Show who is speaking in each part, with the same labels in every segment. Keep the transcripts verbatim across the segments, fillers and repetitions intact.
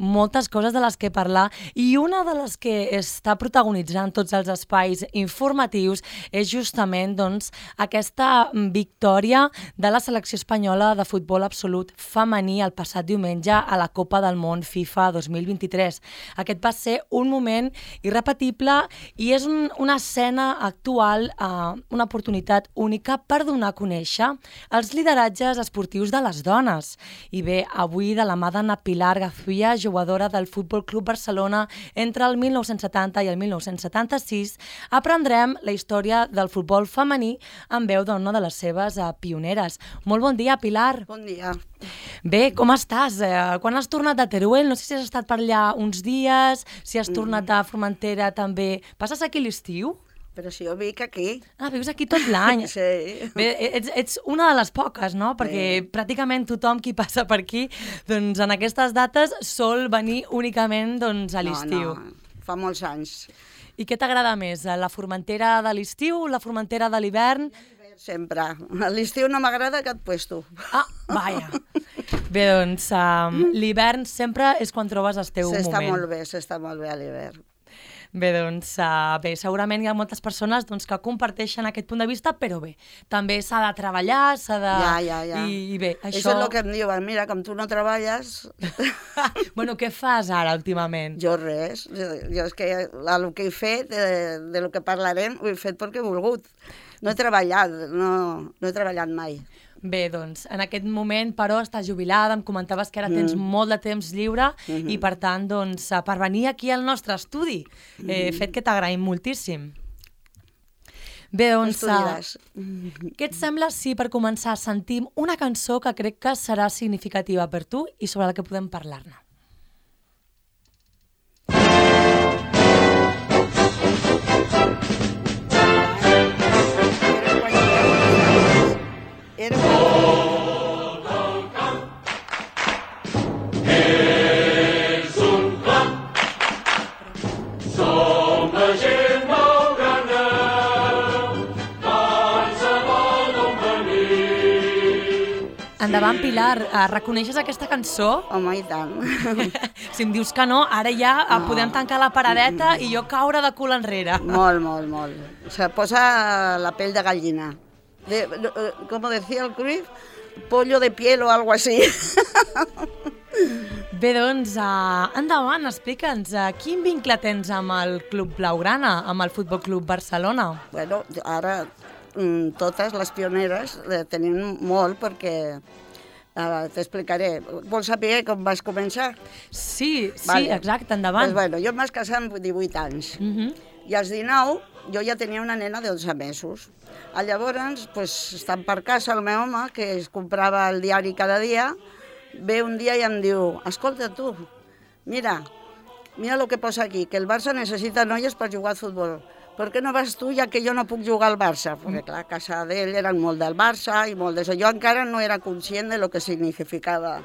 Speaker 1: moltes coses de les que parlar i una de les que està protagonitzant tots els espais informatius és justament doncs, aquesta victòria de la selecció espanyola de futbol absolut femení el passat diumenge a la Copa del Món FIFA dos mil vint-i-tres. Aquest va ser un moment irrepetible i és un, una escena actual, eh, una oportunitat única per donar a conèixer els lideratges esportius de les dones. I bé, avui de la mà d'Anna Pilar Gazuia, jugadora del Futbol Club Barcelona entre el mil nou-cents setanta i el mil nou-cents setanta-sis, aprendrem la història del futbol femení en veu d'una de les seves uh, pioneres. Molt bon dia, Pilar.
Speaker 2: Bon dia.
Speaker 1: Bé, com estàs? Eh, quan has tornat a Teruel? No sé si has estat per allà uns dies, si has tornat a Formentera també. Passes aquí l'estiu?
Speaker 2: Però si jo vic aquí.
Speaker 1: Ah, vius aquí tot l'any.
Speaker 2: Sí.
Speaker 1: Bé, ets, ets una de les poques, no? Perquè sí. Pràcticament tothom qui passa per aquí, doncs en aquestes dates sol venir únicament doncs, a l'estiu.
Speaker 2: No, no, fa molts anys.
Speaker 1: I què t'agrada més, la Formentera de l'estiu o la Formentera de l'hivern?
Speaker 2: Sempre. A l'estiu no m'agrada cap puesto.
Speaker 1: Ah, vaja. Bé, doncs, um, l'hivern sempre és quan trobes el teu moment.
Speaker 2: S'està molt bé, s'està molt bé a l'hivern.
Speaker 1: Bé, doncs, uh, bé, segurament hi ha moltes persones doncs, que comparteixen aquest punt de vista, però bé, també s'ha de treballar, s'ha de...
Speaker 2: Ja, ja, ja.
Speaker 1: I, i bé, això...
Speaker 2: Això és el que em diuen, mira, com tu no treballes...
Speaker 1: Bueno, què fas ara, últimament?
Speaker 2: Jo res, jo és que el que he fet, de, de lo que parlarem, ho he fet perquè he volgut. No he treballat, no, no he treballat mai.
Speaker 1: Bé, doncs, en aquest moment, però, estàs jubilada, em comentaves que ara tens mm. molt de temps lliure mm-hmm. i, per tant, doncs, per venir aquí al nostre estudi, eh, mm. fet que t'agraïm moltíssim. Bé, doncs, uh, què et sembla si per començar sentim una cançó que crec que serà significativa per tu i sobre la que podem parlar-ne?
Speaker 2: Era un...
Speaker 3: És un clam, som la gent blaugrana, qualsevol on venir.
Speaker 1: Endavant, Pilar, uh, reconeixes aquesta cançó?
Speaker 2: Home, i tant.
Speaker 1: Si em dius que no, ara ja no. Podem tancar la paradeta i jo caure de cul enrere.
Speaker 2: Molt, molt, molt. Se posa la pell de gallina. De, como decía el Cruyff, pollo de piel o algo así.
Speaker 1: Bé, doncs, uh, endavant, explica'ns, uh, quin vincle tens amb el Club Blaugrana, amb el Futbol Club Barcelona?
Speaker 2: Bueno, ara mm, totes les pioneres eh, tenim molt perquè uh, t'explicaré. Vols saber com vas començar?
Speaker 1: Sí, sí,
Speaker 2: vale.
Speaker 1: Exacte, endavant.
Speaker 2: Pues bueno, jo em vaig casar amb divuit anys
Speaker 1: Uh-huh.
Speaker 2: i als dinou jo ja tenia una nena de onze mesos. Llavors, pues, estant per casa, el meu home, que es comprava el diari cada dia, ve un dia i em diu, escolta tu, mira, mira el que posa aquí, que el Barça necessita noies per jugar a futbol. Per què no vas tu, ja que jo no puc jugar al Barça? Perquè, clar, a casa d'ell eren molt del Barça i molt d'això. Jo encara no era conscient de lo que significava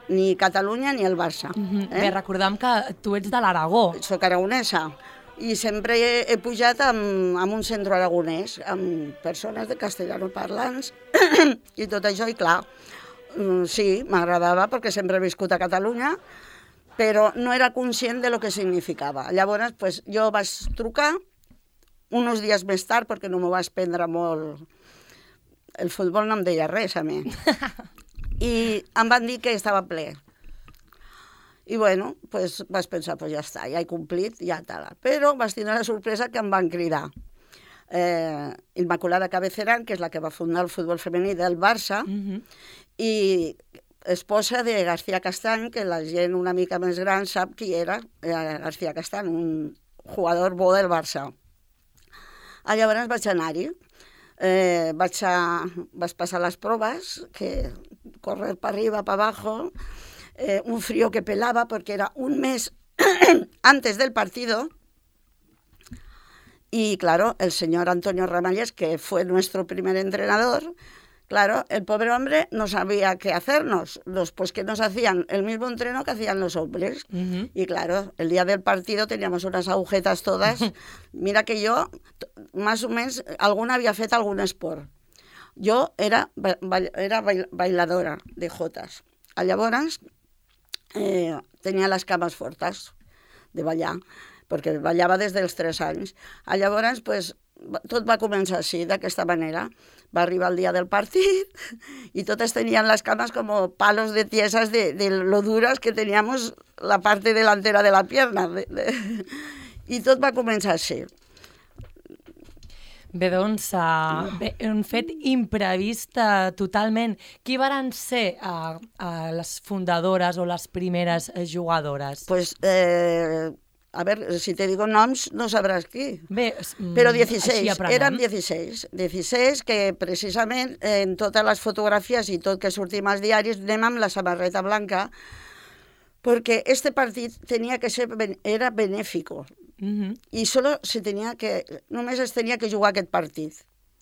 Speaker 2: ni Catalunya ni el Barça.
Speaker 1: Uh-huh.
Speaker 2: eh?
Speaker 1: Bé, recordem que tu ets de l'Aragó.
Speaker 2: Soc aragonesa. I sempre he, he pujat amb, amb un centre aragonès, amb persones de castellano parlants i tot això, i clar, sí, m'agradava perquè sempre he viscut a Catalunya, però no era conscient de lo que significava. Llavors, pues, jo vaig trucar uns dies més tard, perquè no m'ho vaig prendre molt... El futbol no em deia res, a mi. I em van dir que estava ple. I bueno, pues vaig pensar, pues ja està, ja he complit, ja tal. Però vaig tenir la sorpresa que em van cridar. Eh, Immaculada Cabeceran, que és la que va fundar el futbol femení del Barça, uh-huh. i esposa de García Castany, que la gent una mica més gran sap qui era eh, García Castany, un jugador bo del Barça. Ah, llavors vaig anar-hi. Eh, vaig, a, vaig passar les proves, que correr per arriba, per abajo, Eh, un frío que pelaba porque era un mes antes del partido y claro, el señor Antonio Ramallés, que fue nuestro primer entrenador, claro, el pobre hombre no sabía qué hacernos, los, pues que nos hacían el mismo entreno que hacían los hombres. Uh-huh. Y claro, el día del partido teníamos unas agujetas todas, mira que yo, más o menos, alguna había fet algún esport. Jo era, ba era bailadora de jotes. Llavors, eh, tenia les cames fortes de ballar, perquè ballava des dels tres anys. A llavors, pues, tot va començar així, d'aquesta manera. Va arribar el dia del partit y totes tenían las camas como palos de tiesas de, de lo duras que teníamos la parte delantera de la pierna. De, de... I tot va començar així.
Speaker 1: Bé, doncs, uh, bé, un fet imprevist uh, totalment. Qui varen ser uh, uh, les fundadores o les primeres uh, jugadores?
Speaker 2: Pues, eh, a ver, si te digo noms, no sabràs qui.
Speaker 1: Bé,
Speaker 2: Però dieciséis, eren dieciséis. dieciséis que precisament en totes les fotografies i tot que sortim als diaris anem amb la samarreta blanca perquè este partit tenia que ser, era benéfico.
Speaker 1: Uh-huh.
Speaker 2: I solo se tenia que, només es tenia que jugar aquest partit,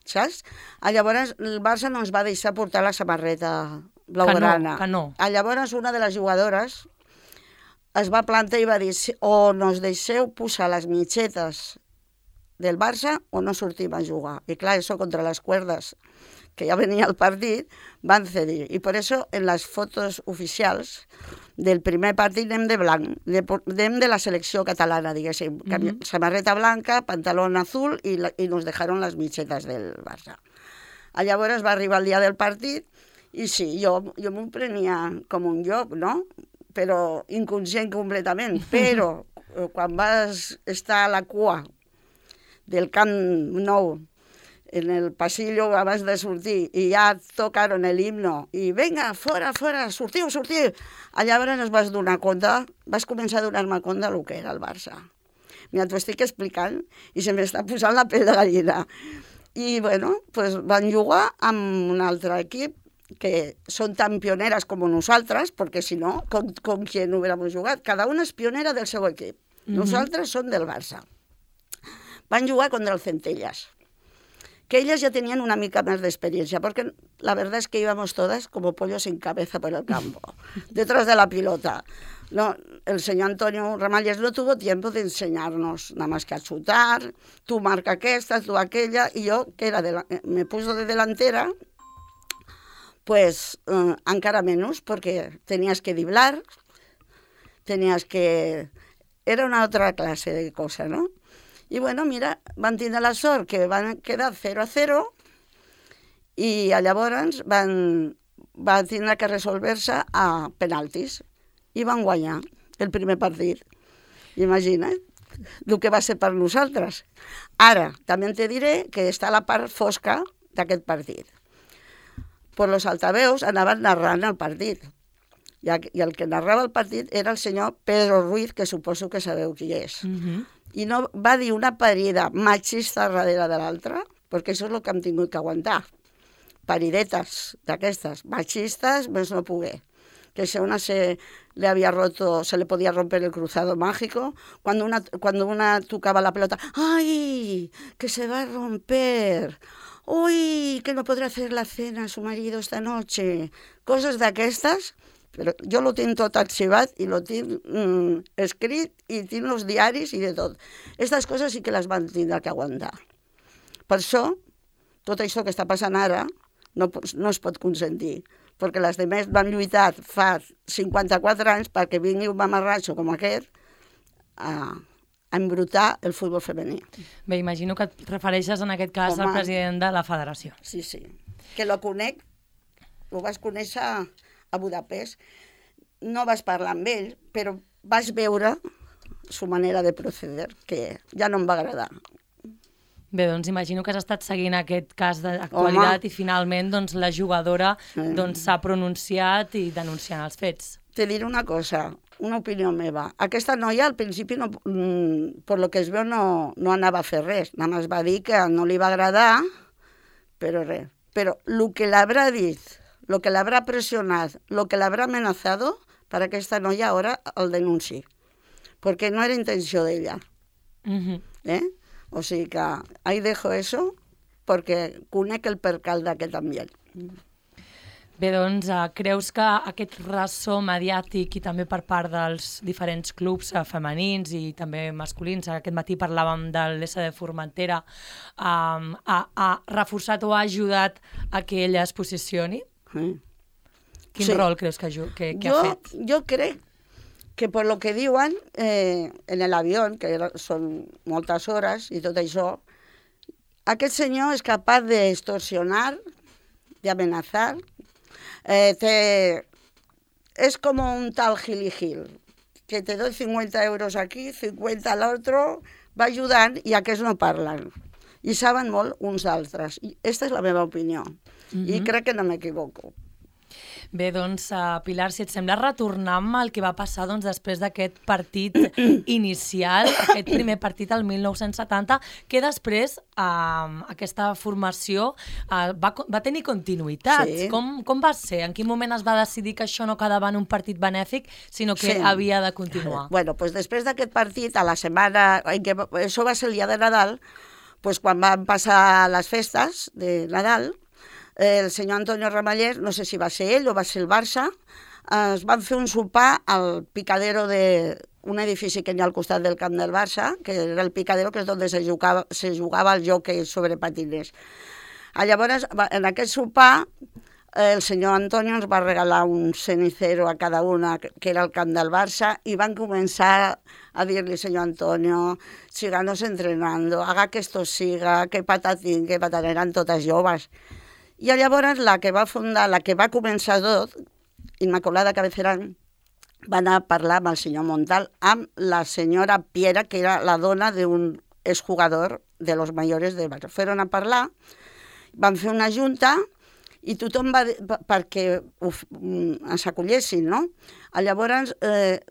Speaker 2: saps? A llavors el Barça no ens va deixar portar la samarreta blaugrana.
Speaker 1: Que no, que no.
Speaker 2: A llavors una de les jugadores es va plantar i va dir o nos deixeu posar les mitgetes del Barça o no sortim a jugar. I clar, això contra les cuerdas, que ja venia el partit, van cedir. I per això en les fotos oficials del primer partit anem de blanc, de, anem de la selecció catalana, diguéssim. Mm-hmm. Samarreta blanca, pantalón azul i, la, i nos dejaron les mitgetes del Barça. A llavors va arribar el dia del partit i sí, jo, jo m'ho prenia com un joc, no? Però inconscient completament. Però quan vas estar a la cua del Camp Nou, en el pasillo abans de sortir, i ja tocaron el himno, i venga, fora, fora, sortiu, sortiu. Llavors es vas donar compte, vas començar a donar-me compte del que era el Barça. Mira, t'ho estic explicant i se m'està posant la pell de gallina. I, bueno, pues van jugar amb un altre equip que són tan pioneres com nosaltres, perquè si no, com, com qui no hubiéramos jugat. Cada una és pionera del seu equip. Mm-hmm. Nosaltres som del Barça. Van jugar contra el Centelles, que ellas ya tenían una mica más de experiencia, porque la verdad es que íbamos todas como pollos sin cabeza por el campo, detrás de la pilota. No, el señor Antonio Ramalles no tuvo tiempo de enseñarnos, nada más que a chutar, tú marca aquesta, tú aquella, y yo, que era de la, me puso de delantera, pues eh, encara menos, porque tenías que driblar, tenías que... Era una otra clase de cosa, ¿no? I, bueno, mira, van tindre la sort que van quedar zero a zero i llavors van, van tindre que resolver-se a penaltis i van guanyar el primer partit. Imagina't el que va ser per nosaltres. Ara, també te diré que està la part fosca d'aquest partit. Per los altaveus anaven narrant el partit. I el que narrava el partit era el senyor Pedro Ruiz, que suposo que sabeu qui és. Mm-hmm. I no va dir una parida machista darrere de l'altra, perquè això és el que hem tingut que aguantar. Paridetes d'aquestes, machistas, més no poder. Que si a una se le había roto, se le podía romper el cruzado mágico, cuando una, cuando una tocaba la pelota, ¡ay! Que se va a romper. ¡Uy! Que no podrá hacer la cena a su marido esta noche. Coses d'aquestes. Però jo lo tinc tot arxivat i lo tinc mm, escrit i tinc els diaris i de tot. Aquestes coses sí que les van tindre que aguantar. Per això, tot això que està passant ara no, no es pot consentir, perquè les demés van lluitar fa cinquanta-quatre anys perquè vingui un mamarratxo com aquest a, a embrutar el futbol femení.
Speaker 1: Bé, imagino que et refereixes en aquest cas Home, al president de la federació.
Speaker 2: Sí, sí. Que lo conec, ho vas conèixer a Budapest, no vas parlar amb ell, però vas veure su manera de proceder, que ja no em va agradar.
Speaker 1: Bé, doncs imagino que has estat seguint aquest cas d'actualitat i finalment doncs, la jugadora doncs, s'ha pronunciat i denunciant els fets.
Speaker 2: Te diré una cosa, una opinió meva. Aquesta noia al principi, no, mm, per lo que es veu, no, no anava a fer res. Nada más va dir que no li va agradar, però res. Però el que l'haurà dit, lo que l'haurà pressionat, lo que l'haurà amenazado, para que esta noia ahora el denunci. Porque no era intenció d'ella. Uh-huh. ¿Eh? O sigui que ahí dejo eso, porque conec el percal d'aquest ambient.
Speaker 1: Bé, doncs, uh, creus que aquest ressò mediàtic i també per part dels diferents clubs uh, femenins i també masculins, aquest matí parlàvem de l'S D Formentera, um, ha, ha reforçat o ha ajudat a que ella es posicioni?
Speaker 2: Sí.
Speaker 1: Quin
Speaker 2: sí.
Speaker 1: rol creus que, que, que
Speaker 2: jo,
Speaker 1: ha fet?
Speaker 2: Jo crec que per lo que diuen, eh, en l'avió, que era, són moltes hores i tot això, aquest senyor és capaç d'extorsionar, d'amenazar, eh, te... és com un tal Gili Gil, que te doy cincuenta euros aquí, cincuenta al otro, va ajudant i aquests no parlen. I saben molt uns d'altres. I aquesta és la meva opinió. Mm-hmm. I crec que no m'equivoco.
Speaker 1: Bé, doncs, uh, Pilar, si et sembla retornar amb el que va passar doncs, després d'aquest partit inicial, aquest primer partit al mil nou-cents setanta, que després uh, aquesta formació uh, va, va tenir continuïtat.
Speaker 2: Sí.
Speaker 1: Com, com va ser? En quin moment es va decidir que això no quedava en un partit benèfic, sinó que
Speaker 2: Sí.
Speaker 1: havia de continuar?
Speaker 2: Bueno, pues després d'aquest partit, a la setmana, en què, això va ser el dia de Nadal, pues quan van passar les festes de Nadal, el senyor Antonio Ramallés, no sé si va ser ell o va ser el Barça, es van fer un sopar al picadero d'un edifici que hi ha al costat del camp del Barça, que era el picadero, que és on se jugava, se jugava el jockey sobre patines. Llavors, en aquest sopar, el senyor Antonio ens va regalar un cenicero a cada una, que era el camp del Barça, i van començar a dir-li, senyor Antonio, síganos entrenando, haga que esto siga, que patatín, que patatín, eren totes joves. I llavors la que va fundar, la que va començar tot, Immaculada Cabecerán, va anar a parlar amb el senyor Montal, amb la senyora Piera, que era la dona d'un exjugador de los mayores del Barça. Fueron a parlar, van fer una junta i tothom va perquè uf, ens acollessin, no? Llavors, eh,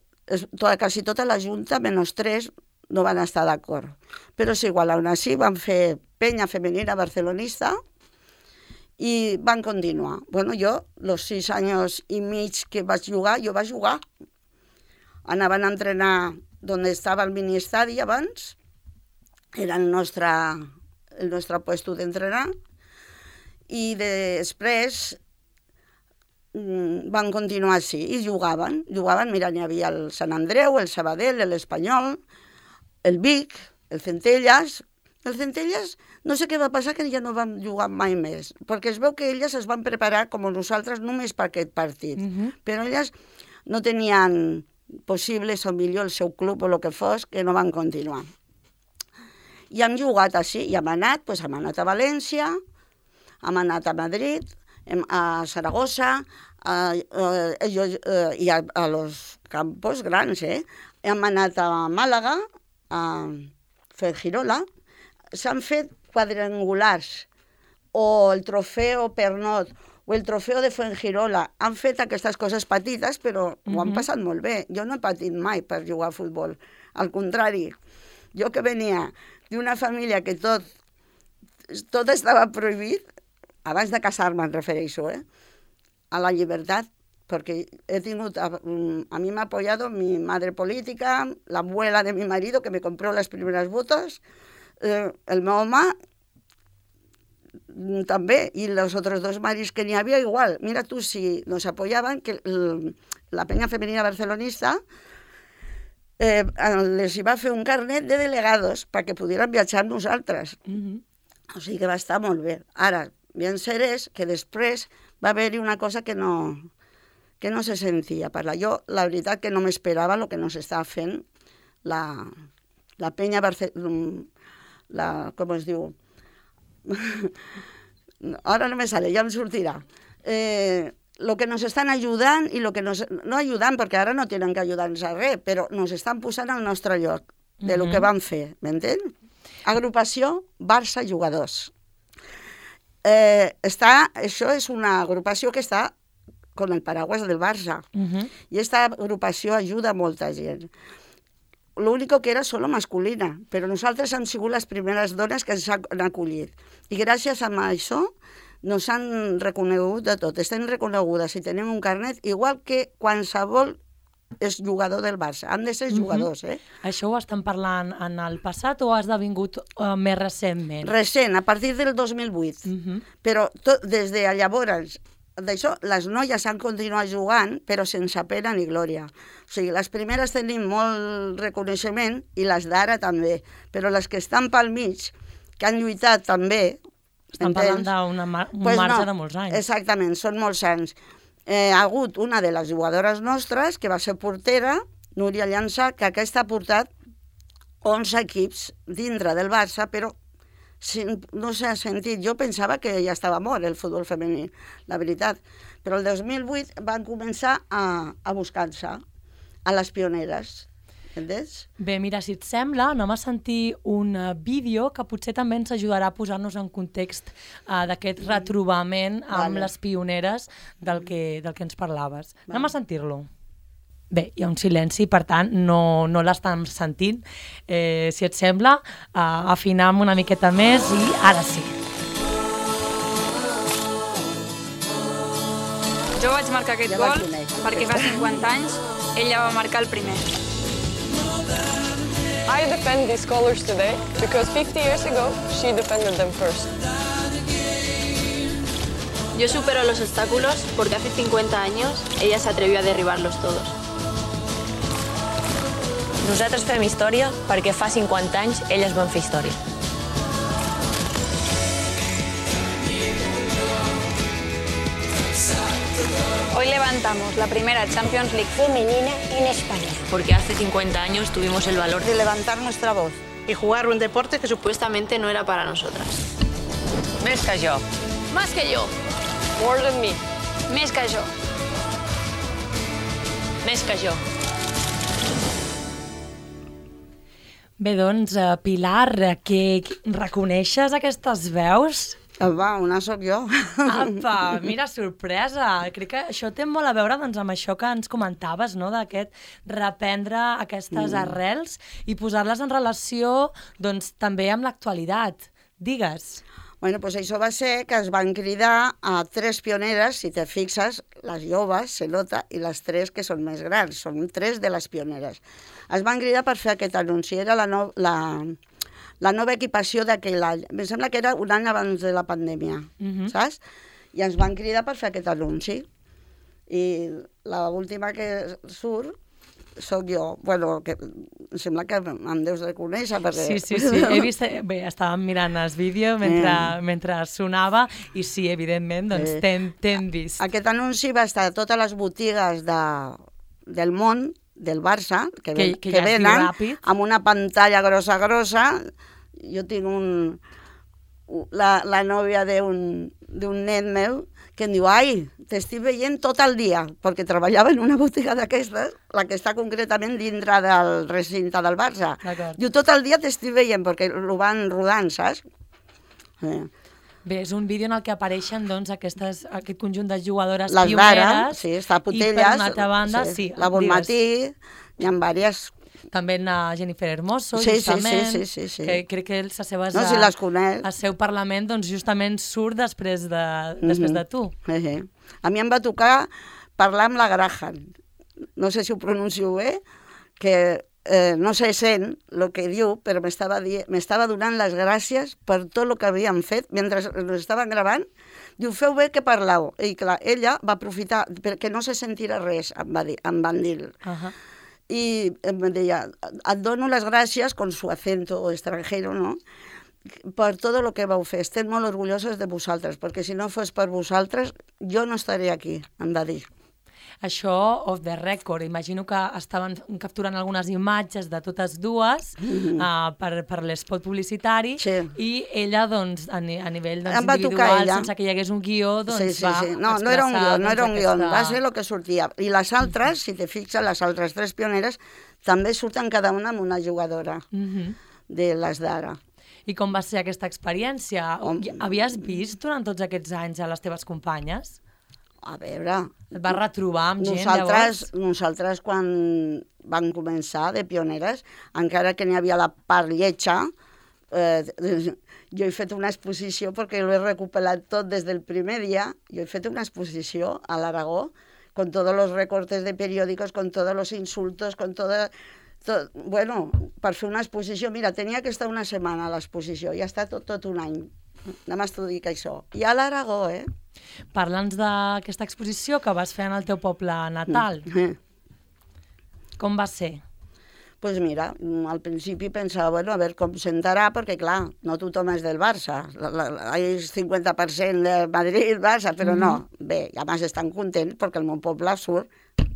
Speaker 2: tota, quasi tota la junta, menys tres, no van estar d'acord. Però és igual, aún així van fer penya femenina barcelonista i van continuar. Bueno, jo, los sis anys i mig que vaig jugar, jo vaig jugar. Anaven a entrenar on estava el mini-estadi abans, era el nostre, el nostre puesto d'entrenar, i després van continuar així, i jugaven. Jugaven, mira, n'hi havia el Sant Andreu, el Sabadell, l'Espanyol, el Vic, el Centelles. El Centelles, no sé què va passar, que ja no vam jugar mai més, perquè es veu que elles es van preparar com nosaltres només per aquest partit, uh-huh. Però elles no tenien possibles, o millor el seu club o el que fos, que no van continuar. I hem jugat així, i hem anat, doncs hem anat a València, hem anat a Madrid, a Saragossa, a, a, a, a, i a, a los campos grans, eh? Hem anat a Màlaga, a Fuengirola. S'han fet quadrangulars, o el trofeu Pernot, o el trofeu de Fuengirola. Han fet aquestes coses petites, però uh-huh. Ho han passat molt bé. Jo no he patit mai per jugar a futbol. Al contrari, jo que venia d'una família que tot, tot estava prohibit, abans de casar-me em refereixo, eh? A la llibertat, perquè he tingut, a, a mi m'ha apoyado mi madre política, la abuela de mi marido, que me compró las primeras botas, Eh, el meu home també, i els altres dos maris que n'hi havia igual. Mira tu, si nos apoyaban, que el, la penya femenina barcelonista eh, les hi va fer un carnet de delegados perquè pudieran viatjar amb nosaltres. Mm-hmm. O sigui que va estar molt bé. Ara, bien cert és que després va haver-hi una cosa que no, que no se sentia parlar. Jo, la veritat, que no m'esperava el que no s'estava fent la, la penya barcelonista. La, com es diu? Ara no me sale, ja em sortirà. Eh, lo que nos estan ajudant i lo que nos... No ajudant, perquè ara no tenen que ajudar-nos a res, però nos estan posant al nostre lloc de lo que van fer, m'entén? Agrupació Barça Jugadors. Eh, està, això és una agrupació que està con el paraguas del Barça. Uh-huh. I aquesta agrupació ajuda a molta gent. Lo único que era solo masculina, però nosaltres hem sigut les primeres dones que s'han acollit. I gràcies a això nos han reconegut de tot. Estem reconegudes i tenim un carnet, igual que qualsevol és jugador del Barça. Han de ser jugadors, eh?
Speaker 1: Uh-huh. Això ho estan parlant en el passat o ha esdevingut uh, més recentment?
Speaker 2: Recent, a partir del dos mil vuit. Uh-huh. Però tot, des de llavors... D'això, les noies han continuat jugant, però sense pena ni glòria. O sigui, les primeres tenim molt reconeixement i les d'ara també, però les que estan pel mig, que han lluitat també...
Speaker 1: Estan parlant d'un mar pues marge no, de molts anys.
Speaker 2: Exactament, són molts anys. Eh, ha hagut una de les jugadores nostres, que va ser portera, Núria Llança, que aquesta ha portat onze equips dintre del Barça, però no s'ha sentit. Jo pensava que ja estava mort el futbol femení, la veritat. Però el dos mil vuit van començar a, a buscar-se a les pioneres. Entens?
Speaker 1: Bé, mira, si et sembla, anem a sentir un uh, vídeo que potser també ens ajudarà a posar-nos en context uh, d'aquest retrobament amb
Speaker 2: Vale.
Speaker 1: les pioneres del que, del que ens parlaves. Vale. Anem a sentir-lo. Bé, hi ha un silenci, per tant, no, no l'estem sentint. Eh, si et sembla, uh, afinem una miqueta més i ara sí.
Speaker 4: Jo vaig marcar aquest
Speaker 2: Ja la
Speaker 4: gol
Speaker 2: conec.
Speaker 4: perquè fa cinquanta anys ella va marcar el primer.
Speaker 5: I defend these colors today because fifty years ago she defended them first.
Speaker 6: Yo supero los obstáculos porque hace cincuenta años ella se atrevió a derribarlos todos.
Speaker 7: Nosaltres fem història perquè fa cinquanta anys elles van fer història.
Speaker 4: Hoy levantamos la primera Champions League femenina en España.
Speaker 7: Porque hace cincuenta años tuvimos el valor
Speaker 2: De levantar nuestra voz.
Speaker 6: Y jugar un deporte que supuestamente no era para nosotras.
Speaker 7: més que jo.
Speaker 4: Más que yo.
Speaker 5: More than me.
Speaker 4: Més que jo.
Speaker 7: Més que jo.
Speaker 1: Bé, doncs, uh, Pilar, que reconeixes aquestes veus?
Speaker 2: Va, una sóc jo.
Speaker 1: Apa, mira, sorpresa. Crec que això té molt a veure doncs, amb això que ens comentaves, no? D'aquest reprendre aquestes mm. arrels i posar-les en relació doncs, també amb l'actualitat. Digues.
Speaker 2: Bueno, pues això va ser que es van cridar a tres pioneres, si te fixes, les joves, se nota, i les tres que són més grans, són tres de les pioneres. Es van cridar per fer aquest anunci, era la, no, la, la nova equipació d'aquell any. Em sembla que era un any abans de la pandèmia,
Speaker 1: Mhm.
Speaker 2: saps? I ens van cridar per fer aquest anunci. I l'última que surt soc jo. Bueno, que em sembla que em deus de conèixer, perquè...
Speaker 1: Sí, sí, sí. He vist... Bé, estàvem mirant el vídeo mentre,
Speaker 2: Eh.
Speaker 1: mentre sonava i sí, evidentment, doncs
Speaker 2: Eh.
Speaker 1: t'hem t'hem vist.
Speaker 2: Aquest anunci va estar a totes les botigues de, del món, del Barça, que,
Speaker 1: Que-
Speaker 2: ven,
Speaker 1: que
Speaker 2: que,
Speaker 1: ja es diu
Speaker 2: venen,
Speaker 1: ràpid.
Speaker 2: amb una pantalla grossa, grossa. Jo tinc un... La, la nòvia d'un d'un net meu que em diu, ai, t'estic veient tot el dia, perquè treballava en una botiga d'aquestes, la que està concretament dintre del recinte del Barça.
Speaker 1: D'acord.
Speaker 2: Diu, tot el dia t'estic veient, perquè ho van rodant, saps? Eh.
Speaker 1: Bé, és un vídeo en el que apareixen doncs, aquestes, aquest conjunt de jugadores
Speaker 2: Les
Speaker 1: pioneres.
Speaker 2: d'ara, sí, està Putelles.
Speaker 1: I per una altra banda, sí,
Speaker 2: la
Speaker 1: digues.
Speaker 2: Bonmatí, hi ha diverses.
Speaker 1: També a Jennifer Hermoso,
Speaker 2: Sí, sí,
Speaker 1: justament,
Speaker 2: sí, sí, sí, sí.
Speaker 1: que crec que les seves...
Speaker 2: No, si les conec.
Speaker 1: El seu Parlament doncs, justament surt després de, després de tu.
Speaker 2: Eh, eh. A mi em va tocar parlar amb la Graham, no sé si ho pronuncio bé, que eh, no se sent el que diu, però m'estava di- m'estava donant les gràcies per tot el que havien fet mentre ens estaven gravant. Diu, feu bé que parlau. I clar, ella va aprofitar, perquè no se sentirà res, em, va dir, em van dir.
Speaker 1: Uh -huh.
Speaker 2: I em deia, et dono les gràcies, con su acento extranjero, no?, per tot el que vau fer. Estem molt orgulloses de vosaltres, perquè si no fos per vosaltres, jo no estaré aquí, em va dir.
Speaker 1: Això, off the record, imagino que estaven capturant algunes imatges de totes dues
Speaker 2: Mhm.
Speaker 1: uh, per, per l'espot publicitari
Speaker 2: Sí.
Speaker 1: i ella, doncs, a, ni, a nivell doncs,
Speaker 2: Em va tocar
Speaker 1: individual,
Speaker 2: ella.
Speaker 1: sense que hi hagués un guió, doncs
Speaker 2: Sí, sí,
Speaker 1: va
Speaker 2: sí. No, no era un
Speaker 1: expressar,
Speaker 2: guió, no era un
Speaker 1: doncs,
Speaker 2: guió,
Speaker 1: aquesta-
Speaker 2: va ser el que sortia. I les altres, si te fixes, les altres tres pioneres, també surten cada una amb una jugadora
Speaker 1: Mhm.
Speaker 2: de les d'ara.
Speaker 1: I com va ser aquesta experiència?
Speaker 2: Home.
Speaker 1: Havies vist durant tots aquests anys a les teves companyes?
Speaker 2: A veure...
Speaker 1: Et vas retrobar amb gent,
Speaker 2: Nosaltres,
Speaker 1: llavors?
Speaker 2: nosaltres quan van començar de pioneres, encara que n'hi havia la part lletja, eh, jo he fet una exposició, perquè ho he recuperat tot des del primer dia, jo he fet una exposició a l'Aragó, con todos los recortes de periódicos, con todos los insultos, con todo... Tot, bueno, per fer una exposició, mira, tenia que estar una setmana a l'exposició, i ha estat tot, tot un any. Només t'ho dic això. I a l'Aragó, eh?
Speaker 1: Parla'ns d'aquesta exposició que vas fer en el teu poble natal.
Speaker 2: Eh.
Speaker 1: Com va ser?
Speaker 2: Pues mira, al principi pensava, bueno, a veure com sentarà, perquè clar, no tothom és del Barça. La, la, la, hi és cinquanta per cent de Madrid, Barça, però no. Bé, i a més estan contents perquè el meu poble surt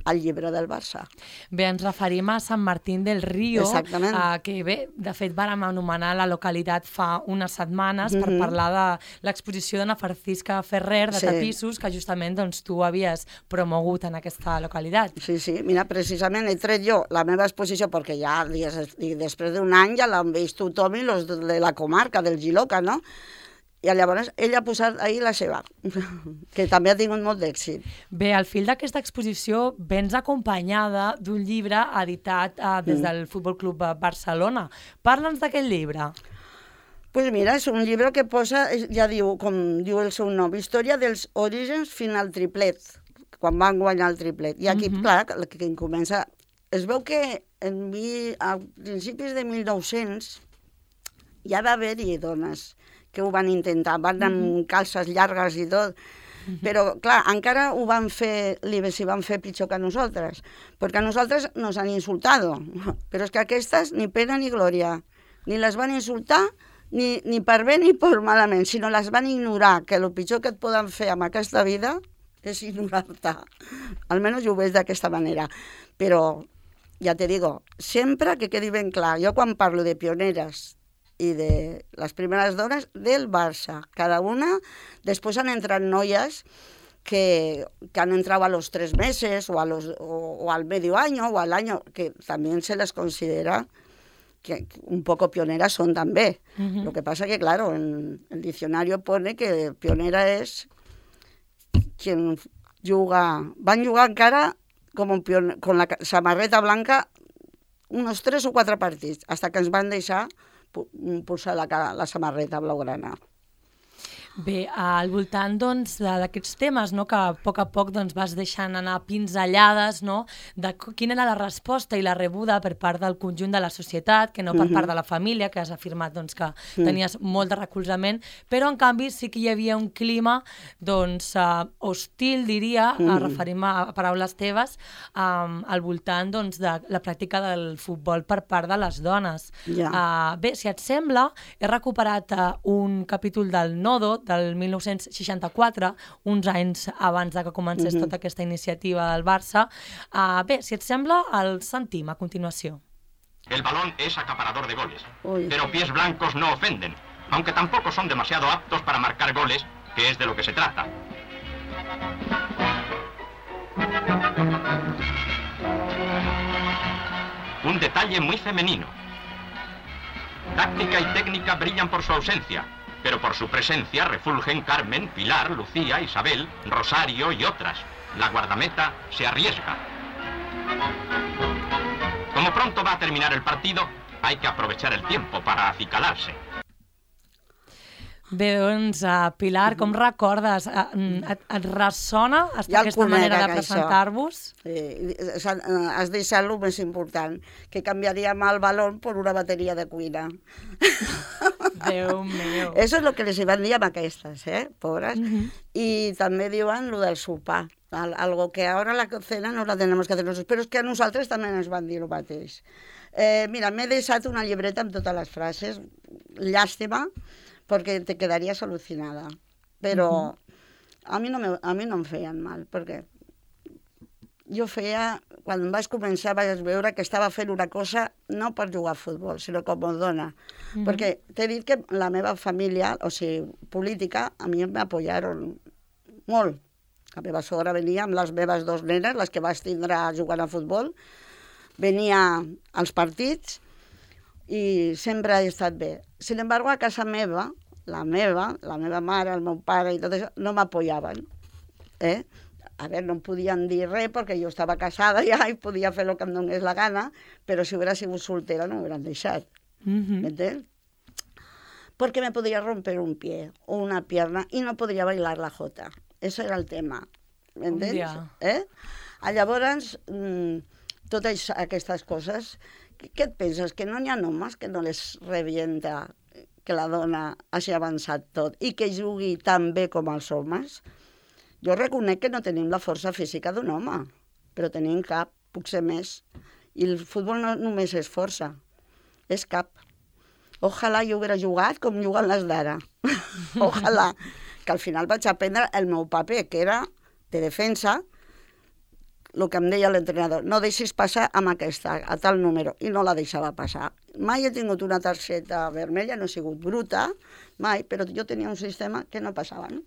Speaker 2: al llibre del Barça.
Speaker 1: Bé, ens referim a Sant Martín del Río,
Speaker 2: Exactament.
Speaker 1: eh, que bé, de fet vàrem anomenar la localitat fa unes setmanes per
Speaker 2: Mhm.
Speaker 1: parlar de l'exposició d'Anna Francisca Ferrer de
Speaker 2: Sí.
Speaker 1: tapissos, que justament doncs, tu havies promogut en aquesta localitat.
Speaker 2: Sí, sí, mira, precisament he tret jo la meva exposició, perquè ja dies, després d'un any ja l'han vist tothom i los de la comarca, del Giloca, no? I llavors ella ha posat ahir la seva, que també ha tingut molt d'èxit.
Speaker 1: Bé, al fil d'aquesta exposició vens acompanyada d'un llibre editat eh, des
Speaker 2: Mm.
Speaker 1: del Futbol Club Barcelona. Parla'ns d'aquest llibre.
Speaker 2: Pues mira, és un llibre que posa, ja diu, com diu el seu nom, Història dels orígens fins al triplet, quan van guanyar el triplet. I aquí,
Speaker 1: Mhm.
Speaker 2: clar, que, que comença... Es veu que en mi, a principis de mil nou-cents ja va haver-hi dones que ho van intentar, van amb calces llargues i tot, però, clar, encara ho van fer, s'hi van fer pitjor que nosaltres, perquè a nosaltres nos han insultado, però és que aquestes ni pena ni glòria, ni les van insultar ni, ni per bé ni per malament, sinó les van ignorar, que el pitjor que et poden fer amb aquesta vida és ignorar-te. Almenys jo ho veig d'aquesta manera. Però, ja te digo, sempre que quedi ben clar, jo quan parlo de pioneres i de les primeres dones del Barça. Cada una, després han entrat noies que, que han entrat a los tres meses o, a los, o, o al medio año o al año, que también se les considera que un poco pioneras son también. Uh-huh. Lo que pasa que, claro, en el diccionario pone que pionera es quien juga, van jugar encara com un pion, con la samarreta blanca unos tres o quatre partits, hasta que ens van deixar posar la, la samarreta blaugrana.
Speaker 1: Bé, al voltant doncs, d'aquests temes, no, que a poc a poc doncs, vas deixant anar pinzellades, no, de quina era la resposta i la rebuda per part del conjunt de la societat, que no per part de la família, que has afirmat doncs, que tenies molt de recolzament, però en canvi sí que hi havia un clima doncs, uh, hostil, diria, a referir-me a paraules teves, um, al voltant doncs, de la pràctica del futbol per part de les dones.
Speaker 2: Ja.
Speaker 1: Uh, bé, si et sembla, he recuperat uh, un capítol del Nodo, del mil nou-cents seixanta-quatre, uns anys abans de que comencés uh-huh. tota aquesta iniciativa del Barça. Uh, bé, si et sembla, el sentim a continuació.
Speaker 8: El balón es acaparador de goles,
Speaker 2: Uy.
Speaker 8: pero pies blancos no ofenden, aunque tampoco son demasiado aptos para marcar goles, que es de lo que se trata. Un detalle muy femenino. Táctica y técnica brillan por su ausencia, pero por su presencia refulgen Carmen, Pilar, Lucía, Isabel, Rosario y otras. La guardameta se arriesga. Como pronto va a terminar el partido, hay que aprovechar el tiempo para acicalarse.
Speaker 1: Bé, doncs, uh, Pilar, com recordes? Uh, et, et ressona
Speaker 2: Ja
Speaker 1: aquesta manera de presentar-vos?
Speaker 2: Sí, has deixat el més important, que canviaríem el balón per una bateria de cuina.
Speaker 1: Déu meu.
Speaker 2: Eso es lo que les van dir amb aquestes, eh, pobres.
Speaker 1: Uh-huh.
Speaker 2: I també diuen lo del sopar, algo que ahora la cena no la tenemos que hacer nosotros, però és que a nosaltres també ens van dir el mateix. Eh, mira, m'he deixat una llibreta amb totes les frases, llàstima, perquè te quedaries al·lucinada. Però uh-huh. a, mi no me, a mi no em feien mal, perquè jo feia, quan vaig començar vaig veure que estava fent una cosa no per jugar a futbol, sinó com a dona. Uh-huh. Perquè t'he dit que la meva família, o sigui, política, a mi m'apoyaron molt. La meva sogra venia amb les meves dos nenes, les que vaig tindre jugant a futbol, venia als partits i sempre he estat bé. Sin embargo, a casa meva, la meva, la meva mare, el meu pare i tot això, no m'apoyaven. Eh? A veure, no em podien dir res perquè jo estava casada ja i podia fer el que em donés la gana, però si hubiera sigut soltera no m'hubieran deixat.
Speaker 1: Uh-huh.
Speaker 2: ¿M'entens? Porque me podría romper un pie o una pierna y no podría bailar la jota. Eso era el tema. M'entens?
Speaker 1: Ja.
Speaker 2: Eh? Llavors, mmm, totes aquestes coses, què et penses? Que no n'hi ha homes que no les revienta que la dona hagi avançat tot i que jugui tan bé com els homes? Jo reconec que no tenim la força física d'un home, però tenim cap, puc ser més. I el futbol no només és força, és cap. Ojalà jo hubiera jugat com juguen les d'ara. Ojalà. Que al final vaig aprendre el meu paper, que era de defensa, el que em deia l'entrenador, no deixis passar amb aquesta, a tal número, i no la deixava passar. Mai he tingut una targeta vermella, no he sigut bruta, mai, però jo tenia un sistema que no passava, no?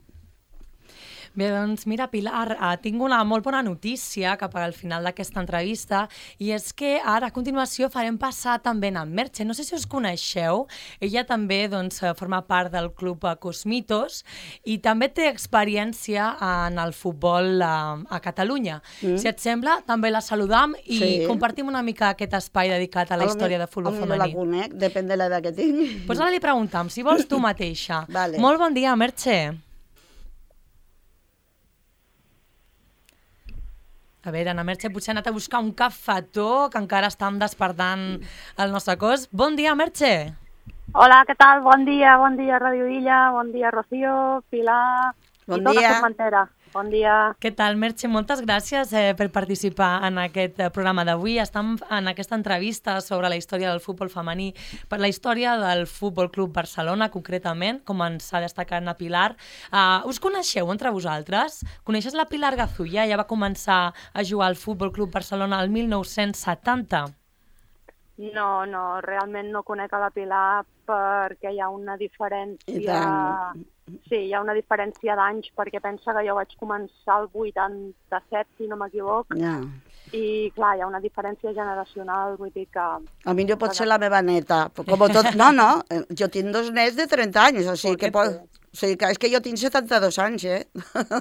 Speaker 1: Bé, doncs mira, Pilar, eh, tinc una molt bona notícia cap al final d'aquesta entrevista i és que ara a continuació farem passar també en Merche. No sé si us coneixeu, ella també doncs, forma part del club Cosmitos i també té experiència en el futbol a, a Catalunya. Mm. Si et sembla, també la saludam i sí. compartim una mica aquest espai dedicat a la història de futbol femení.
Speaker 2: A mi no la conec, depèn de l'edat que tinc.
Speaker 1: Pues ara li preguntam, si vols tu mateixa.
Speaker 2: Vale.
Speaker 1: Molt bon dia, Merche. A veure, Ana Merche, potser ha anat a buscar un cafetó, que encara estem despertant el nostre cos. Bon dia, Merche!
Speaker 9: Hola, què tal? Bon dia, bon dia, Radio Illa, bon dia, Rocío, Pilar
Speaker 2: bon
Speaker 9: i tota
Speaker 2: dia.
Speaker 9: Formentera. Bon dia.
Speaker 1: Què tal, Merche? Moltes gràcies eh, per participar en aquest eh, programa d'avui. Estem en aquesta entrevista sobre la història del futbol femení, per la història del Futbol Club Barcelona, concretament, com ens ha destacat la Pilar. Uh, us coneixeu entre vosaltres? Coneixes la Pilar Gazulla? Ella va començar a jugar al Futbol Club Barcelona el mil nou-cents setanta.
Speaker 9: No, no, realment no conec a la Pilar perquè hi ha una diferència... Sí, hi ha una diferència d'anys, perquè pensa que jo vaig començar el vuitanta-set, si no m'equivoc,
Speaker 2: Ja.
Speaker 9: i clar, hi ha una diferència generacional, vull dir que...
Speaker 2: A mi jo pot ser la meva neta. Com tot... No, no, jo tinc dos nets de trenta anys, o sigui que pot... O sigui que és que jo tinc setanta-dos anys, eh?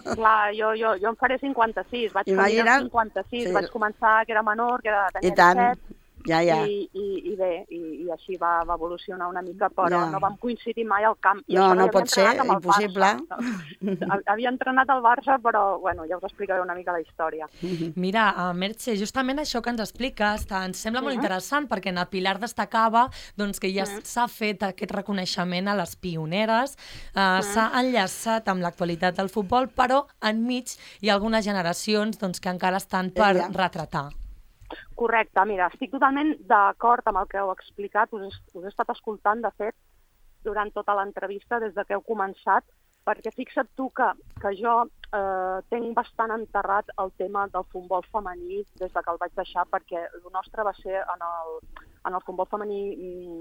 Speaker 9: Clar, jo, jo, jo em faré cinquanta-sis, vaig tenir cinquanta-sis, sí. Vaig començar que era menor, que era, tenia
Speaker 2: I tant.
Speaker 9: disset,
Speaker 2: Ja, ja.
Speaker 9: I, i, i bé, i, i així va, va evolucionar una mica, però
Speaker 2: Ja.
Speaker 9: no vam coincidir mai al camp. I
Speaker 2: No,
Speaker 9: això
Speaker 2: no
Speaker 9: havia
Speaker 2: pot ser,
Speaker 9: entrenat amb el
Speaker 2: impossible.
Speaker 9: Barça, no? Havia entrenat al Barça, però bueno, ja us explicaré una mica la història.
Speaker 1: Mira, uh, Merche, justament això que ens expliques ens sembla molt interessant perquè en el Pilar destacava doncs, que ja s'ha fet aquest reconeixement a les pioneres, uh, s'ha enllaçat amb l'actualitat del futbol, però enmig hi ha algunes generacions doncs, que encara estan per
Speaker 2: Ella.
Speaker 1: retratar.
Speaker 9: Correcte, mira, estic totalment d'acord amb el que heu explicat, us, us he estat escoltant, de fet, durant tota l'entrevista, des de que heu començat, perquè fixa't tu que, que jo eh, tenc bastant enterrat el tema del futbol femení des de que el vaig deixar, perquè el nostre va ser en el, en el futbol femení,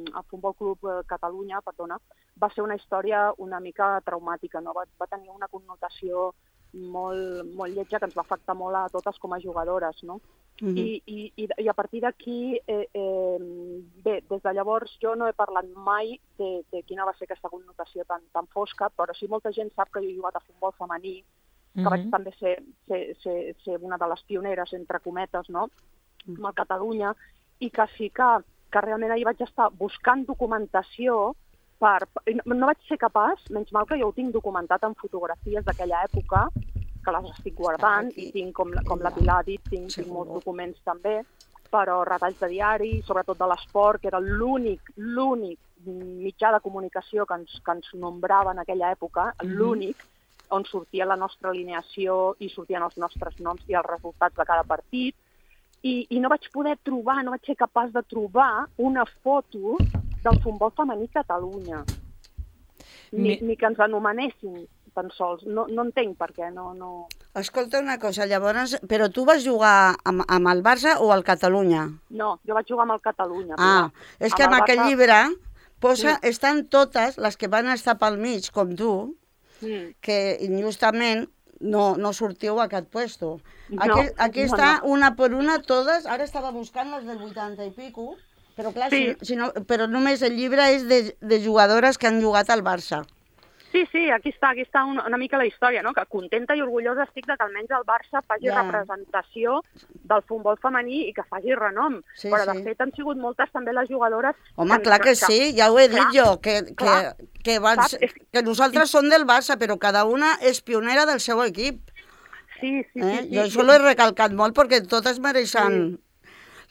Speaker 9: el Futbol Club Catalunya, perdona, va ser una història una mica traumàtica, no? va, va tenir una connotació molt, molt lletja que ens va afectar molt a totes com a jugadores, no? Mm-hmm. I, i, I a partir d'aquí, eh, eh, bé, des de llavors jo no he parlat mai de, de quina va ser aquesta connotació tan, tan fosca, però sí molta gent sap que jo he jugat a futbol femení, que mm-hmm. vaig també ser, ser, ser, ser una de les pioneres, entre cometes, no? Mm-hmm. amb el Catalunya, i que sí que, que realment ahir vaig estar buscant documentació per... No vaig ser capaç, menys mal que jo ho tinc documentat en fotografies d'aquella època, que les estic guardant, i tinc, com, com la Pilar ha dit, tinc, tinc molts documents també, però retalls de diari, sobretot de l'esport, que era l'únic, l'únic mitjà de comunicació que ens, que ens nombrava en aquella època, mm-hmm. l'únic, on sortia la nostra alineació i sortien els nostres noms i els resultats de cada partit, i, i no vaig poder trobar, no vaig ser capaç de trobar una foto del futbol femení Catalunya, ni, ni que ens anomenessin tan sols. No, no entenc per què, no, no...
Speaker 2: Escolta una cosa, llavors, però tu vas jugar amb, amb el Barça o al Catalunya?
Speaker 9: No, jo vaig jugar amb el Catalunya.
Speaker 2: Ah, és que amb, amb aquell Barça... llibre posa, sí. estan totes les que van estar pel mig, com tu, mm. que injustament no, no sortiu a aquest puesto. Aquí, no, aquí no, està no. una per una, totes, ara estava buscant les del vuitanta i pico, però clar, sí. si, si no, però només el llibre és de, de jugadores que han jugat al Barça.
Speaker 9: Sí, sí, aquí està, aquí està una, una mica la història, no? Que contenta i orgullosa estic de que almenys el Barça faci yeah. representació del futbol femení i que faci renom. Sí, però, de sí. fet, han sigut moltes també les jugadores...
Speaker 2: Home, que, clar que, que sí, ja ho he clar, dit jo, que, que, que, vas, que nosaltres sí. som del Barça, però cada una és pionera del seu equip.
Speaker 9: Sí, sí,
Speaker 2: eh?
Speaker 9: sí.
Speaker 2: Jo
Speaker 9: sí,
Speaker 2: això
Speaker 9: sí.
Speaker 2: l'he recalcat molt perquè totes mereixen... Sí.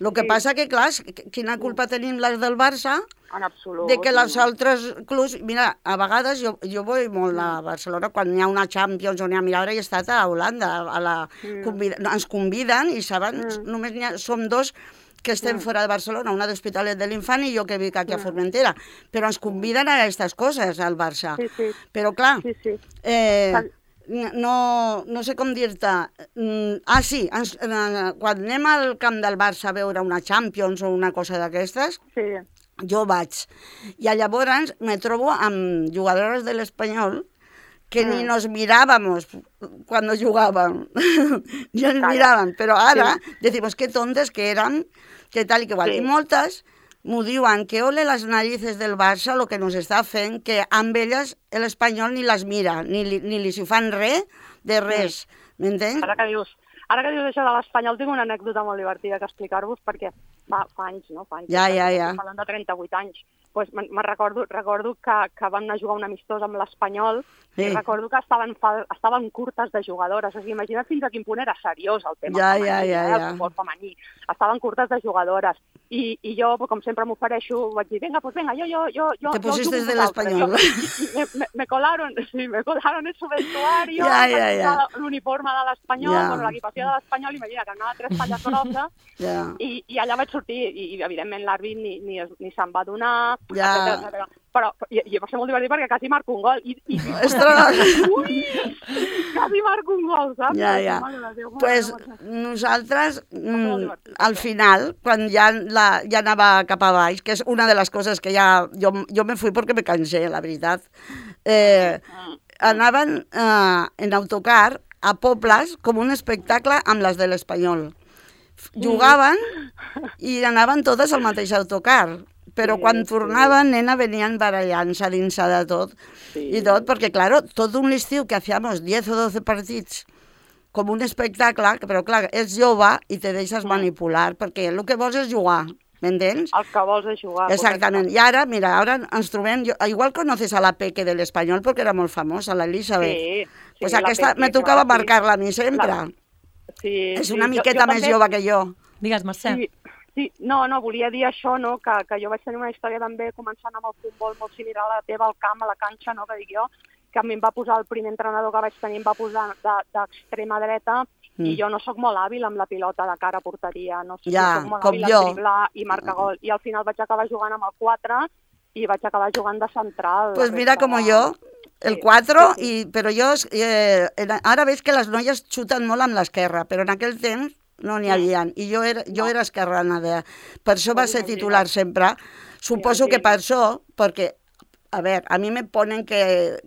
Speaker 2: El que
Speaker 9: sí.
Speaker 2: passa que, clar, quina culpa tenim les del Barça
Speaker 9: en absolut,
Speaker 2: de que les
Speaker 9: sí.
Speaker 2: altres clubs... Mira, a vegades jo, jo vull molt a Barcelona, quan hi ha una Champions o n'hi ha... Mira, ara he estat a Holanda, a la, mm. convida, ens conviden i saben, mm. només ha, som dos que estem mm. fora de Barcelona, una d'Hospitalet de l'Infant i jo que vic aquí mm. a Formentera, però ens conviden a aquestes coses, al Barça.
Speaker 9: Sí, sí.
Speaker 2: Però, clar,
Speaker 9: sí, sí.
Speaker 2: Eh, no, no sé com dir-te. Ah, sí, ens, quan anem al camp del Barça a veure una Champions o una cosa d'aquestes,
Speaker 9: sí.
Speaker 2: jo vaig. I llavors me trobo amb jugadores de l'Espanyol que mm. ni nos mirábamos cuando jugaban. Ni ens miraven, però ara sí. decimos que tontes que eran, que tal i que igual. Sí. I moltes m'ho diuen, que ole les narices del Barça, lo que nos està fent, que amb elles l'Espanyol ni les mira, ni li, ni li si fan res de res, m'entens?
Speaker 9: Ara que dius, ara que dius això de l'Espanyol, tinc una anècdota molt divertida que explicar-vos, perquè fa, fa anys, no? Fa anys,
Speaker 2: ja, ja, ja.
Speaker 9: Parlant de trenta-vuit anys. Pues me'n recordo, recordo que, que vam anar a jugar un amistós amb l'Espanyol sí. i recordo que estaven, fa, estaven curtes de jugadores. O sigui, imagina't fins a quin punt era seriós el tema
Speaker 2: ja,
Speaker 9: femení,
Speaker 2: ja, ja,
Speaker 9: eh,
Speaker 2: ja.
Speaker 9: el futbol femení. Estaven curtes de jugadores. I, i jo, com sempre m'ofereixo, vaig dir, venga, pues venga, yo, yo, yo, yo,
Speaker 2: Te pusiste
Speaker 9: yo
Speaker 2: de l'Espanyol.
Speaker 9: Me, me, me colaron, sí, me colaron en su vestuario,
Speaker 2: ja, ja, ja.
Speaker 9: l'uniforme de l'Espanyol,
Speaker 2: ja.
Speaker 9: bueno, l'equipació de l'Espanyol, imagina que anava tres talles grosses, ja. i, i allà vaig sortir, i, i evidentment l'àrbit ni, ni, ni se'n va donar,
Speaker 2: ja.
Speaker 9: etcètera, etcètera. Però i, i va ser molt divertit perquè quasi marco un gol. I, i, ui, quasi marco un gol, saps?
Speaker 2: Ja, ja. Doncs pues, nosaltres, mm, al final, quan ja, la, ja anava cap a baix, que és una de les coses que ja... Jo, jo me fui perquè me cansé, la veritat. Eh, anaven eh, en autocar a pobles com un espectacle amb les de l'Espanyol. Jugaven i anaven totes al mateix autocar. Però sí, quan tornaven, sí. nena, venien barallant-se dins de tot. Sí. I tot, perquè, claro, tot un estiu que hacíamos diez o doce partits com un espectacle, però, clar, ets jove i te deixes mm. manipular, perquè el que vols és jugar, m'entens?
Speaker 9: El que vols és jugar.
Speaker 2: Exactament. I ara, mira, ara ens trobem... Jo, igual conoces a la Peque de l'Espanyol, perquè era molt famosa, la Elizabeth. Sí, sí. Pues aquesta me tocava marcar-la a mi sempre. La... Sí, és una sí. miqueta jo, jo més també... jove que jo.
Speaker 1: Digues, Mercè.
Speaker 9: Sí. Sí, no, no, volia dir això, no? que, que jo vaig tenir una història també començant amb el futbol molt similar a la teva, al camp, a la canxa, no? que dic jo, que a mi em va posar el primer entrenador que vaig tenir, em va posar d'extrema de, dreta mm. i jo no sóc molt hàbil amb la pilota de cara a porteria, no,
Speaker 2: ja,
Speaker 9: no sóc molt hàbil a driblar i marcar gol. I al final vaig acabar jugant amb el quatre i vaig acabar jugant de central.
Speaker 2: Pues mira com jo, el quatre, sí, sí. I, però jo, eh, ara veig que les noies xuten molt amb l'esquerra, però en aquell temps no n'hi havia, i jo era, jo era esquerrana, de... per això va ser titular sempre. Suposo que per això, perquè, a veure, a mi me ponen que,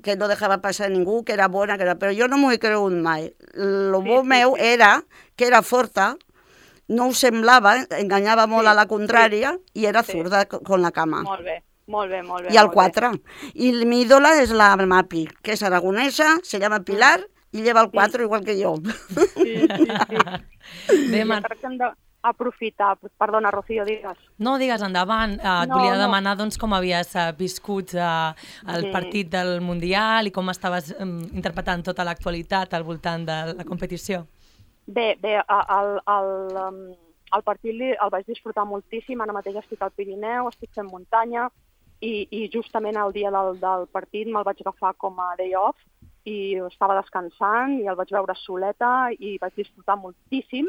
Speaker 2: que no deixava passar ningú, que era bona, que era... però jo no m'ho he cregut mai. Lo bo meu era que era forta, no ho semblava, enganyava molt a la contrària, i era zurda con la cama.
Speaker 9: Molt bé. Molt bé, molt bé.
Speaker 2: I el quatre. I mi ídola és la Mapi, que és aragonesa, se llama Pilar, i lleva el quatre igual que jo.
Speaker 9: Sí, sí, sí. Bé, Mar... Crec que hem d'aprofitar... Perdona, Rocío, digues.
Speaker 1: No, digues, endavant. Uh, et no, volia no. demanar doncs, com havies uh, viscut uh, el sí. partit del Mundial i com estaves um, interpretant tota l'actualitat al voltant de la competició.
Speaker 9: Bé, bé, el, el, um, el partit el vaig disfrutar moltíssim. Ara mateix estic al Pirineu, estic fent muntanya i, i justament el dia del, del partit me'l vaig agafar com a day off i estava descansant i el vaig veure soleta i vaig disfrutar moltíssim,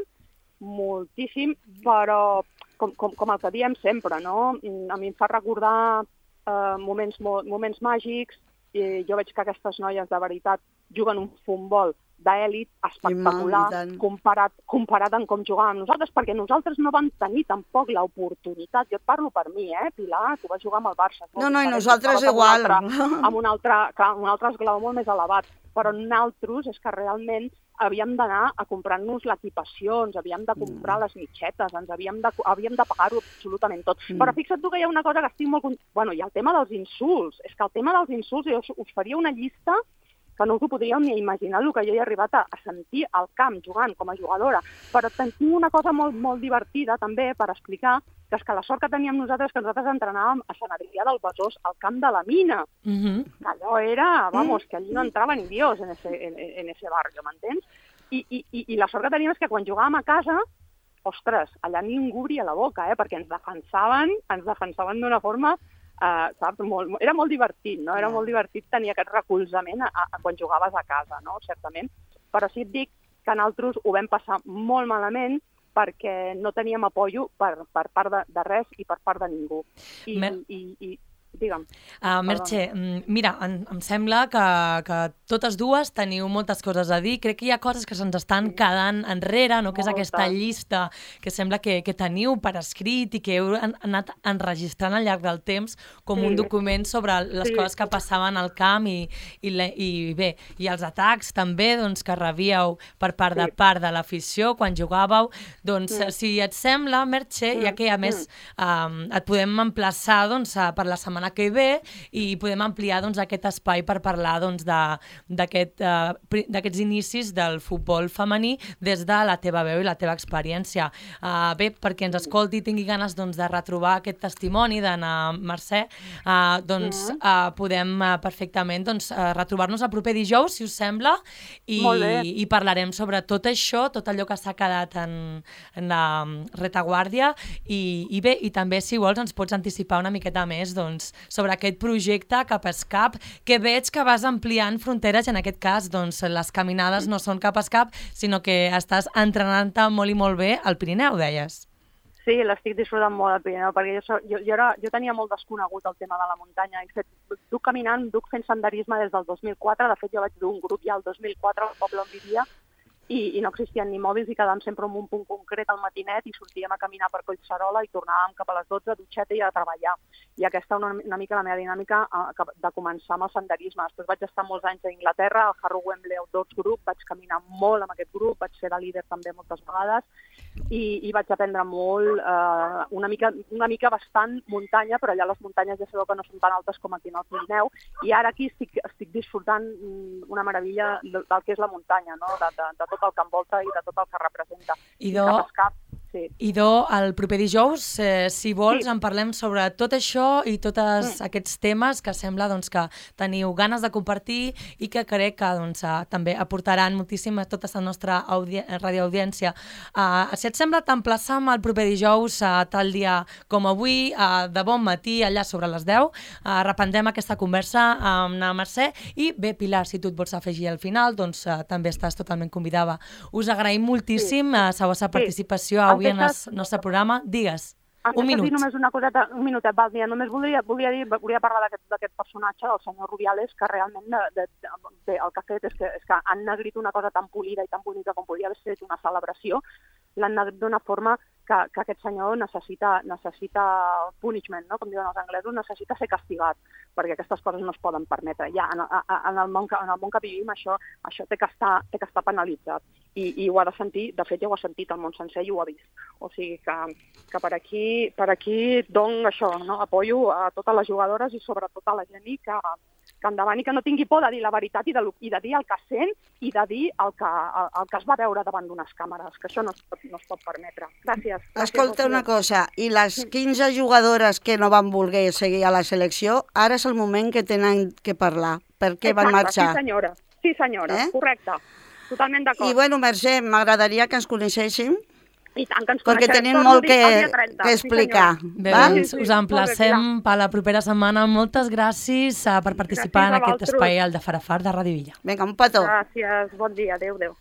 Speaker 9: moltíssim, però com, com, com el que diem sempre, no? A mi em fa recordar eh, moments, moments màgics i jo veig que aquestes noies de veritat juguen un futbol d'èlit espectacular comparat, comparat amb com jugàvem nosaltres, perquè nosaltres no vam tenir tampoc l'oportunitat. Jo et parlo per mi, eh, Pilar? Tu vas jugar amb el Barça.
Speaker 2: No, no, i nosaltres igual.
Speaker 9: Amb un altre, amb un altre, amb un altre esglaó molt més elevat. Però nosaltres és que realment havíem d'anar a comprar-nos l'equipació, ens havíem de comprar les mitxetes, ens havíem de, havíem de pagar-ho absolutament tot. Mm. Però fixa't tu que hi ha una cosa que estic molt... Bueno, hi ha el tema dels insults. És que el tema dels insults, jo us faria una llista que no us ho podríeu ni imaginar el que jo he arribat a, a sentir al camp jugant com a jugadora. Però tinc una cosa molt, molt divertida també per explicar, que és que la sort que teníem nosaltres que nosaltres entrenàvem a Sant Adrià del Besòs, al camp de la Mina. Mm-hmm. Que allò era, vamos, que allí no entrava ni Dios en ese, en, en ese barrio, m'entens? I, i, i la sort que teníem és que quan jugàvem a casa, ostres, allà ningú obria la boca, eh? Perquè ens defensaven, ens defensaven d'una forma... Uh, saps? Molt, era molt divertit, no? Era molt divertit tenir aquest recolzament a, a, quan jugaves a casa, no? Certament. Però sí et dic que nosaltres ho vam passar molt malament perquè no teníem apoyo per, per part de, de res i per part de ningú. I, Me... i, i digue'm.
Speaker 1: Uh, Merche, mira, em, em sembla que, que totes dues teniu moltes coses a dir. Crec que hi ha coses que se'ns estan quedant enrere, no? Que és aquesta llista que sembla que, que teniu per escrit i que heu anat enregistrant al llarg del temps com sí. un document sobre les sí. coses que passaven al camp i, i, le, i bé, i els atacs també doncs, que rebíeu per part sí. de part de l'afició quan jugàveu. Doncs, mm. si et sembla, Merche, mm. ja que a més mm. um, et podem emplaçar doncs, per la setmana que ve i podem ampliar doncs, aquest espai per parlar doncs, d'aquest, uh, d'aquests inicis del futbol femení des de la teva veu i la teva experiència. Uh, bé, perquè ens escolti i tingui ganes doncs, de retrobar aquest testimoni d'Anna Mercè, uh, doncs uh, podem uh, perfectament doncs, uh, retrobar-nos el proper dijous, si us sembla, i, i parlarem sobre tot això, tot allò que s'ha quedat en, en la retaguardia i, i bé, i també si vols ens pots anticipar una miqueta més doncs, sobre aquest projecte Cap a Escap, que veig que vas ampliant fronteres i en aquest cas doncs, les caminades no són cap a escap, sinó que estàs entrenant-te molt i molt bé al Pirineu, deies.
Speaker 9: Sí, l'estic disfrutant molt al Pirineu, perquè jo, jo, jo, era, jo tenia molt desconegut el tema de la muntanya. He fet, duc caminant, duc fent senderisme des del dos mil quatre, de fet jo vaig dur un grup ja el dos mil quatre al poble on vivia, i, i no existien ni mòbils i quedàvem sempre en un punt concret al matinet i sortíem a caminar per Collserola i tornàvem cap a les dotze, dutxeta i a treballar. I aquesta una, una mica la meva dinàmica de començar amb el senderisme. Després vaig estar molts anys a Inglaterra, al Harrow Wembley Outdoors Group, vaig caminar molt amb aquest grup, vaig ser de líder també moltes vegades i, i vaig aprendre molt, eh, una, mica, una mica bastant muntanya, però allà les muntanyes ja sabeu que no són tan altes com aquí en el Pirineu, i ara aquí estic, estic disfrutant una meravella del, del que és la muntanya, no? de, de, de tot el que envolta i de tot el que representa.
Speaker 1: Idò,
Speaker 9: cap a escap, sí.
Speaker 1: Idò, el proper dijous, eh, si vols, sí. en parlem sobre tot això i tots mm. aquests temes que sembla doncs, que teniu ganes de compartir i que crec que doncs, eh, també aportaran moltíssim a tota la nostra radioaudiència. Uh, si et sembla, t'emplaçam el proper dijous, uh, tal dia com avui, uh, de bon matí, allà sobre les deu. Uh, reprendrem aquesta conversa amb la Mercè i bé, Pilar, si tu et vols afegir al final, doncs uh, també estàs totalment convidada. Us agraïm moltíssim sí. uh, la vostra participació sí. avui en el nostre programa. Digues. Un minut.
Speaker 9: Dir només una coseta, un minutet, val, dia. Només volia, volia, dir, volia parlar d'aquest personatge, el senyor Rubiales, que realment de, de, de, el que ha fet és que, és que han negrit una cosa tan polida i tan bonica com podia haver estat una celebració, l'han negrit d'una forma que, que aquest senyor necessita, necessita punishment, no? Com diuen els anglesos, necessita ser castigat, perquè aquestes coses no es poden permetre. Ja, en, en, el, món que, en el món que vivim això, això té, que estar, té que estar penalitzat i, i ho ha de sentir, de fet ja ho ha sentit el món sencer i ho ha vist. O sigui que, que per aquí, per aquí dono això, no? Apoyo a totes les jugadores i sobretot a la gent que, que endavant i que no tingui por de dir la veritat i de, i de dir el que sent i de dir el que, el, el que es va veure davant d'unes càmeres, que això no es pot, no es pot permetre. Gràcies. gràcies
Speaker 2: Escolta una cosa, i les quinze jugadores que no van voler seguir a la selecció, ara és el moment que tenen que parlar. Per què
Speaker 9: Exacte,
Speaker 2: van marxar?
Speaker 9: Sí senyora, sí senyora, eh? Correcte. Totalment d'acord.
Speaker 2: I bueno, Mercè, m'agradaria que ens coneixéssim.
Speaker 9: I tant que ens
Speaker 2: perquè tenim molt que, que explicar.
Speaker 1: Sí, Bé, doncs, us emplacem per la propera setmana. Moltes gràcies per participar gràcies en aquest espai al de Farafar de Ràdio Villa.
Speaker 2: Vinga, un petó.
Speaker 9: Gràcies, bon dia, adéu, adéu.